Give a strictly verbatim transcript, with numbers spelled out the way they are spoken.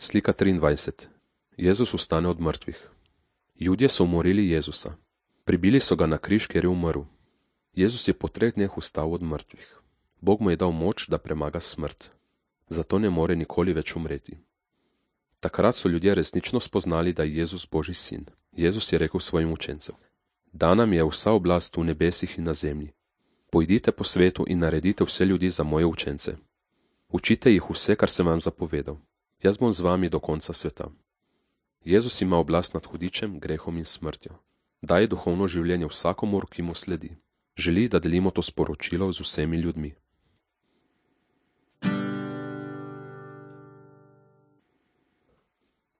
Slika triindvajset. Jezus vstane od mrtvih. Judje so umorili Jezusa. Pribili so ga na križ, ker je umrl. Jezus je po treh dneh vstal od mrtvih. Bog mu je dal moč, da premaga smrt. Zato ne more nikoli več umreti. Takrat so ljudje resnično spoznali, da je Jezus Božji sin. Jezus je rekel svojim učencem: Dana mi je vsa oblast v nebesih in na zemlji. Pojdite po svetu in naredite vse ljudi za moje učence. Učite jih vse, kar sem vam zapovedal. Jaz bom z vami do konca sveta. Jezus ima oblast nad hudičem, grehom in smrtjo. Daje duhovno življenje vsakomur, ki mu sledi. Želi, da delimo to sporočilo z vsemi ljudmi.